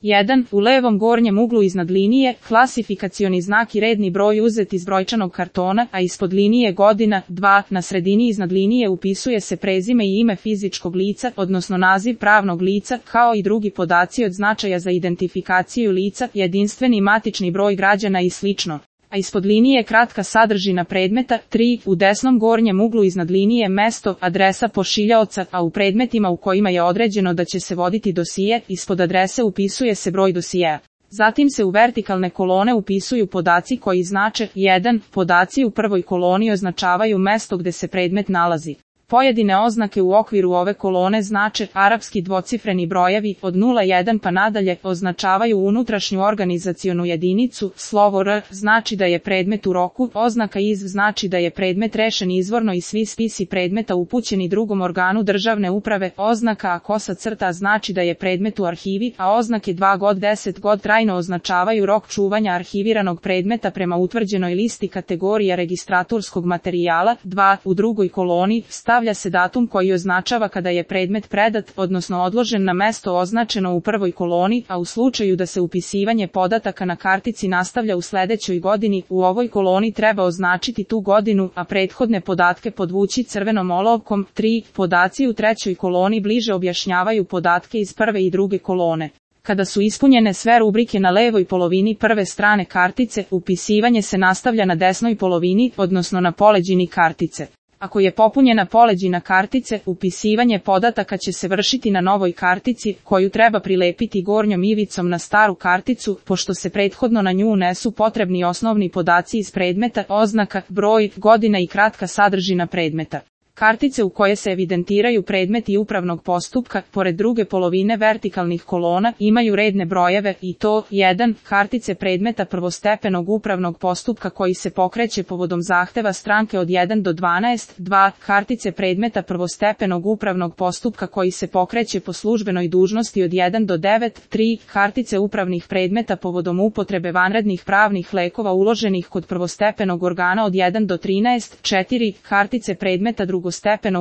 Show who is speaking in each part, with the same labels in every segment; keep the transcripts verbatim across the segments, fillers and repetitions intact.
Speaker 1: jedan. U levom gornjem uglu iznad linije, klasifikacioni znak i redni broj uzet iz brojčanog kartona, a ispod linije godina. dva. Na sredini iznad linije upisuje se prezime i ime fizičkog lica, odnosno naziv pravnog lica, kao i drugi podaci od značaja za identifikaciju lica, jedinstveni matični broj građana i slično. A ispod linije kratka sadržina predmeta. tri. U desnom gornjem uglu iznad linije mesto, adresa pošiljaoca, a u predmetima u kojima je određeno da će se voditi dosije, ispod adrese upisuje se broj dosijea. Zatim se u vertikalne kolone upisuju podaci koji znače jedan. Podaci u prvoj koloni označavaju mesto gde se predmet nalazi. Pojedine oznake u okviru ove kolone znače arapski dvocifreni brojevi od nula jedan pa nadalje, označavaju unutrašnju organizacionu jedinicu. Slovo R znači da je predmet u roku, oznaka iz znači da je predmet rešen izvorno i svi spisi predmeta upućeni drugom organu državne uprave. Oznaka A kosa crta znači da je predmet u arhivi, a oznake dva god deset god trajno označavaju rok čuvanja arhiviranog predmeta prema utvrđenoj listi kategorija registratorskog materijala. dva. U drugoj koloni stavlja se datum koji označava kada je predmet predat, odnosno odložen na mesto označeno u prvoj koloni, a u slučaju da se upisivanje podataka na kartici nastavlja u sledećoj godini, u ovoj koloni treba označiti tu godinu, a prethodne podatke podvući crvenom olovkom. tri. Podaci u trećoj koloni bliže objašnjavaju podatke iz prve i druge kolone. Kada su ispunjene sve rubrike na levoj polovini prve strane kartice, upisivanje se nastavlja na desnoj polovini, odnosno na poleđini kartice. Ako je popunjena poleđina kartice, upisivanje podataka će se vršiti na novoj kartici, koju treba prilepiti gornjom ivicom na staru karticu, pošto se prethodno na nju unesu potrebni osnovni podaci iz predmeta, oznaka, broj, godina i kratka sadržina predmeta. Kartice u koje se evidentiraju predmeti upravnog postupka, pored druge polovine vertikalnih kolona, imaju redne brojeve i to jedan. Kartice predmeta prvostepenog upravnog postupka koji se pokreće povodom zahteva stranke od jedan do dvanaest. dva. Kartice predmeta prvostepenog upravnog postupka koji se pokreće po službenoj dužnosti od jedan do devet. tri. Kartice upravnih predmeta povodom upotrebe vanrednih pravnih lekova uloženih kod prvostepenog organa od jedan do trinaest. četiri. Kartice predmeta drugostepenog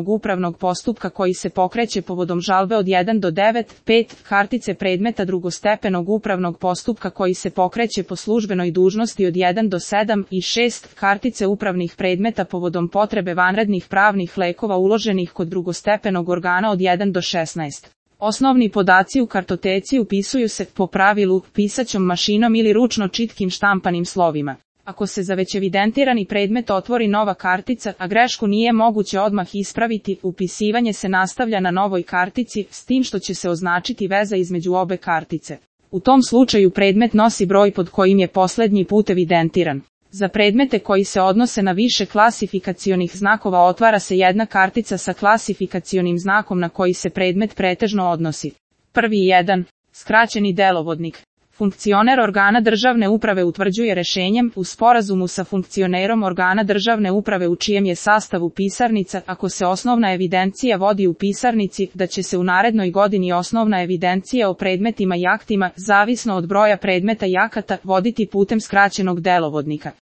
Speaker 1: upravnog postupka koji se pokreće povodom žalbe od jedan do devet. pet. Kartice predmeta drugostepenog upravnog postupka koji se pokreće po službenoj dužnosti od jedan do sedam. I šest. Kartice upravnih predmeta povodom potrebe vanrednih pravnih lekova uloženih kod drugostepenog organa od jedan do šesnaest. Osnovni podaci u kartoteci upisuju se, po pravilu, pisaćom mašinom ili ručno čitkim štampanim slovima. Ako se za već evidentirani predmet otvori nova kartica, a grešku nije moguće odmah ispraviti, upisivanje se nastavlja na novoj kartici, s tim što će se označiti veza između obe kartice. U tom slučaju predmet nosi broj pod kojim je poslednji put evidentiran. Za predmete koji se odnose na više klasifikacionih znakova otvara se jedna kartica sa klasifikacionim znakom na koji se predmet pretežno odnosi. Prvi jedan. Skraćeni delovodnik. Funkcioner organa državne uprave utvrđuje rešenjem, u sporazumu sa funkcionerom organa državne uprave u čijem je sastavu pisarnica, ako se osnovna evidencija vodi u pisarnici, da će se u narednoj godini osnovna evidencija o predmetima i aktima, zavisno od broja predmeta i akata, voditi putem skraćenog delovodnika.